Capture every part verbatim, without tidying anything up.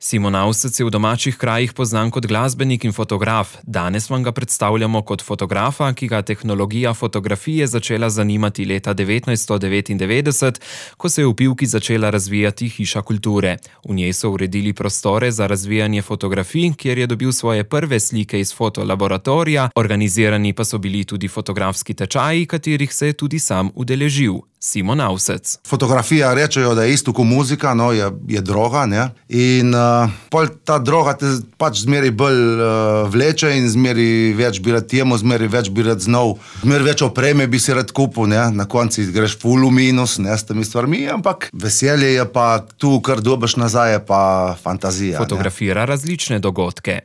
Simon Avsec je v domačih krajih poznan kot glasbenik in fotograf. Danes vam ga predstavljamo kot fotografa, ki ga tehnologija fotografije začela zanimati leta devetnajststo devetindevetdeset, ko se je v Pivki začela razvijati Hiša kulture. V njej so uredili prostore za razvijanje fotografij, kjer je dobil svoje prve slike iz fotolaboratorija, organizirani pa so bili tudi fotografski tečaji, katerih se je tudi sam udeležil. Simon Avsec. Fotografija rečejo, da je isto kot muzika, no, je, je droga, ne, in uh, pol ta droga te pač zmeri bolj uh, vleče in zmeri več bi rad temu, zmeri več bi rad znal, zmeri več opreme bi si rad kupil, ne, na konci greš ful v minus, ne, s temi stvarmi, ampak veselje je pa tu, kar dobiš nazaj, je pa fantazija. Fotografira ne. Različne dogodke.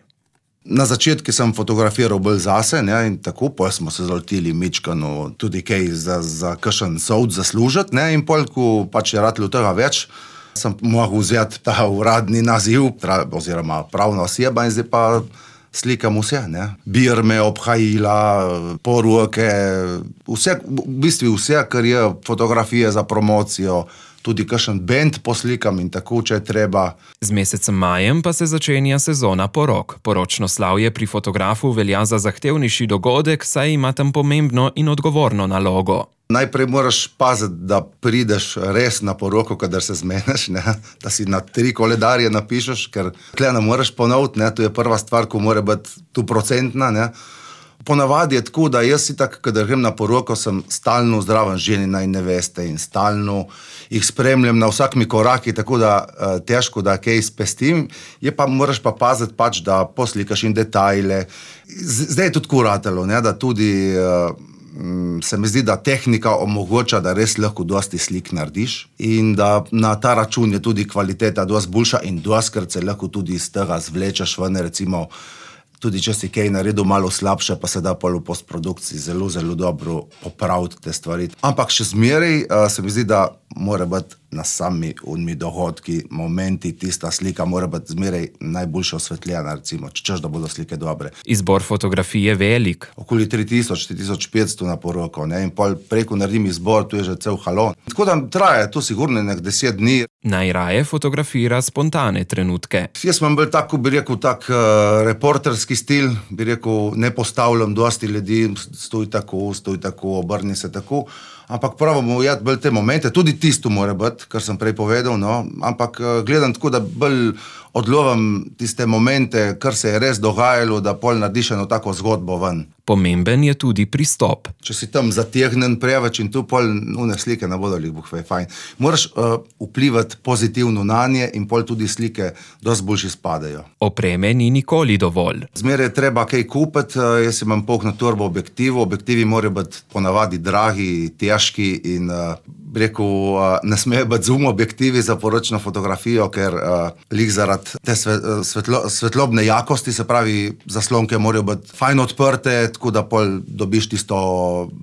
Na začetku sem fotografiral bolj zase, ne, in tako, pol smo se zalotili mičkano tudi kaj za, za kakšen sovd zaslužiti, ne, in pol, ko pač je ratilo tega več, sem mogel vzeti ta uradni naziv, oziroma pravna oseba, in zdaj pa slikam vse, ne. Birme, obhajila, poroke, vse, v bistvu vse, kar je fotografije za promocijo, tudi kakšen bend poslikam in tako, če je treba. Z mesecem majem pa se začenja sezona porok. Poročno slavje pri fotografu velja za zahtevnejši dogodek, saj ima tam pomembno in odgovorno nalogo. Najprej moraš paziti, da prideš res na poroko, kadar se zmeneš, ne? Da si na tri koledarje napišeš, ker tle ne moreš ponoviti, ne? To je prva stvar, ko mora biti tu procentna, ne? Ponavadi je tako, da jaz si tak, kadar grem na poroko, sem stalno zdraven ženina in neveste in stalno jih spremljam na vsakmi koraki, tako da uh, težko, da kaj spestim, je pa moraš pa paziti pač, da poslikaš in detajle. Z, zdaj je tudi kuratelo, ne, da tudi uh, se mi zdi, da tehnika omogoča, da res lahko dosti slik narediš in da na ta račun je tudi kvaliteta dosti boljša in doskrat se lahko tudi iz tega zvlečeš ven, recimo tudi če si kaj naredil malo slabše, pa se da pol v postprodukciji zelo, zelo dobro popraviti te stvari. Ampak še zmeraj uh, se mi zdi, da mora biti na sami unmi dohodki, momenti, tista slika mora biti zmeraj najboljše osvetljena, recimo, če češ, da bodo slike dobre. Izbor fotografije je velik. Okoli tri tisoč, tri tisoč petsto na poroko, ne, in pol preko naredim izbor, tu je že cel halon. Tako da traje to sigurno nek deset dni. Najraje fotografira spontane trenutke. Jaz sem bil tako, bi rekel, tak uh, reporterski stil, bi rekel, ne postavljam dosti ljudi, stoj tako, stoj tako, obrni se tako, ampak pravimo ujeti bolj te momente, tudi tisto mora biti, kar sem prej povedal, no, ampak uh, gledam tako, da bolj odlovam tiste momente, kar se je res dogajalo, da pol narediš eno tako zgodbo ven. Pomemben je tudi pristop. Če si tam zategnen preveč in tu pol une slike ne bodo li buhve fajn. Moraš uh, vplivati pozitivno na nje in pol tudi slike dosti boljši spadajo. Opreme ni nikoli dovolj. Zmeraj je treba kaj kupiti, uh, jaz imam polno torbo objektivov, objektivi morajo biti ponavadi dragi, težki in uh, rekel, uh, ne smejo biti zoom objektivi za poročno fotografijo, ker uh, lik zaradi te svetlo, svetlobne jakosti, se pravi, zaslonke morajo biti fajn odprte, tako da pol dobiš tisto,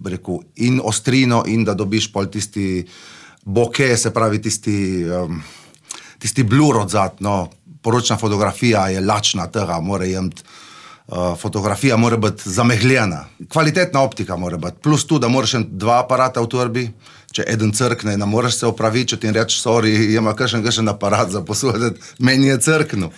rekel, in ostrino in da dobiš pol tisti bokeh, se pravi tisti, um, tisti blur odzad, no, poročna fotografija je lačna tega, mora jemti, uh, fotografija mora biti zamegljena, kvalitetna optika mora biti, plus tu, da moraš imeti dva aparata v torbi, če eden crkne, ne moreš se opravičiti in reči, sorry, ima kakšen, kakšen aparat za posoditi, meni je crknil.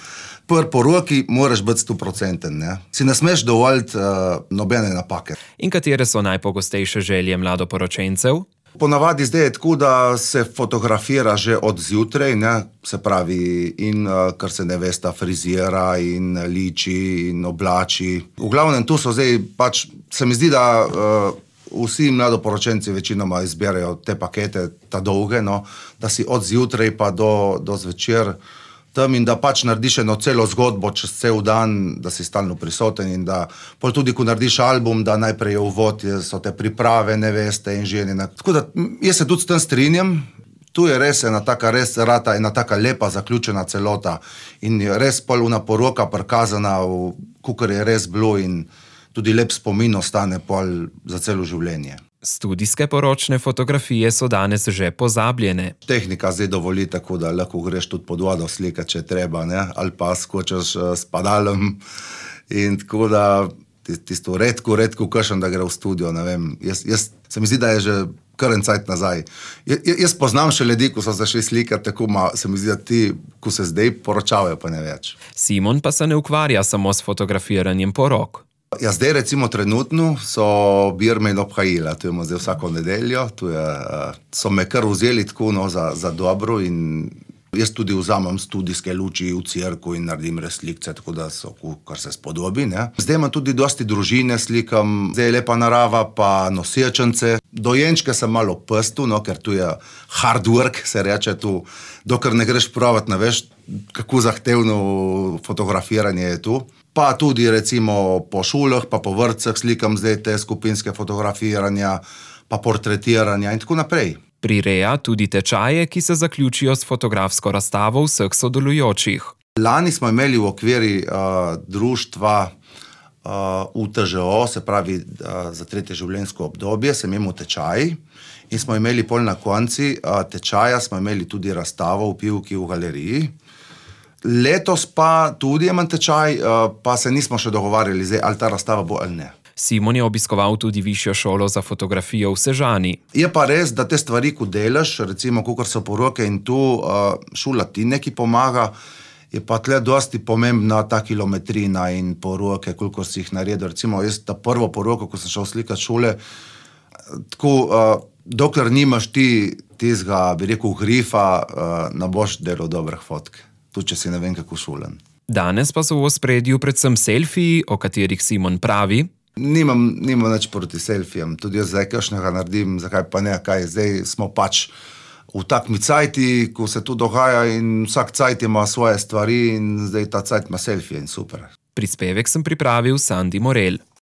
Prv po roki moraš biti sto procenten, ne? Si ne smeš dovoljiti uh, nobene napake. In katere so najpogostejše želje mladoporočencev? Ponavadi zdaj je tako, da se fotografira že od zjutraj, ne? Se pravi, in uh, kar se nevesta frizira in liči in oblači. V glavnem tu so zdaj pač, se mi zdi, da uh, vsi mladoporočenci večinoma izberajo te pakete, ta dolge, no? Da si od zjutraj pa do, do zvečer tam in da pač narediš eno celo zgodbo čez cel dan, da si stalno prisoten in da pol tudi, ko narediš album, da najprej je uvod, so te priprave, neveste in ženine. Tako da jaz se tudi s tem strinjam, tu je res ena taka res rata, ena taka lepa zaključena celota in je res pol una poroka prikazana, kakor je res bilo in tudi lep spomin ostane pol za celo življenje. Studijske poročne fotografije so danes že pozabljene. Tehnika zdaj dovoli tako, da lahko greš tudi pod vodo slikati, če treba, ne? Ali pa skočiš s padalom in tako da tisto redko, redko kašem, da gre v studio, ne vem. Jaz, jaz, se mi zdi, da je že kar en cajt nazaj. J, jaz poznam še ljudi, ko so se šli slikati, tako ma, se mi zdi, da ti, ko se zdaj poročavajo, pa ne več. Simon pa se ne ukvarja samo s fotografiranjem porok. Ja, zdaj recimo trenutno so Birme in obhajila, to imamo zdaj vsako nedeljo, to je, so me kar vzeli tako no, za, za dobro in jaz tudi vzamem studijske luči v cirku in naredim reslikce, tako da so, kar se spodobi. Ne. Zdaj imam tudi dosti družine, slikam, zdaj je lepa narava, pa nosečence. Dojenčke sem malo pestil, no, ker tu je hard work, se reče tu, dokler ne greš provat, ne veš, kako zahtevno fotografiranje je tu. Pa tudi recimo po šolah, pa po vrtcih slikam zdaj te skupinske fotografiranja, pa portretiranja in tako naprej. Prireja tudi tečaje, ki se zaključijo s fotografsko razstavo vseh sodelujočih. Lani smo imeli v okviri uh, društva uh, U T Ž O, se pravi uh, za tretje življenjsko obdobje, sem imel tečaj in smo imeli pol na konci uh, tečaja, smo imeli tudi razstavo v Pivki v galeriji. Letos pa tudi imam tečaj, uh, pa se nismo še dogovarjali, zdaj, ali ta razstava bo ali ne. Simon je obiskoval tudi višjo šolo za fotografijo v Sežani. Je pa res, da te stvari, ko delaš, recimo, kakor so poroke in tu šola ti neki pomaga, je pa tle dosti pomembna ta kilometrina in poroke, koliko si jih naredil. Recimo, jaz ta prvo poroko, ko sem šel slikati šole, tako, dokler nimaš ti tizga, bi rekel, grifa, ne boš delal dobrih fotk. Tudi, če si ne vem, kako šolen. Danes pa so v ospredju predvsem selfiji, o katerih Simon pravi: Nimam, nimam nič proti selfijem, tudi jaz zdaj kakšnega naredim, zakaj pa ne, kaj zdaj smo pač v takmi cajti, ko se tu dogaja in vsak cajt ima svoje stvari in zdaj ta cajt ima selfije in super. Prispevek sem pripravil Sandi Morel.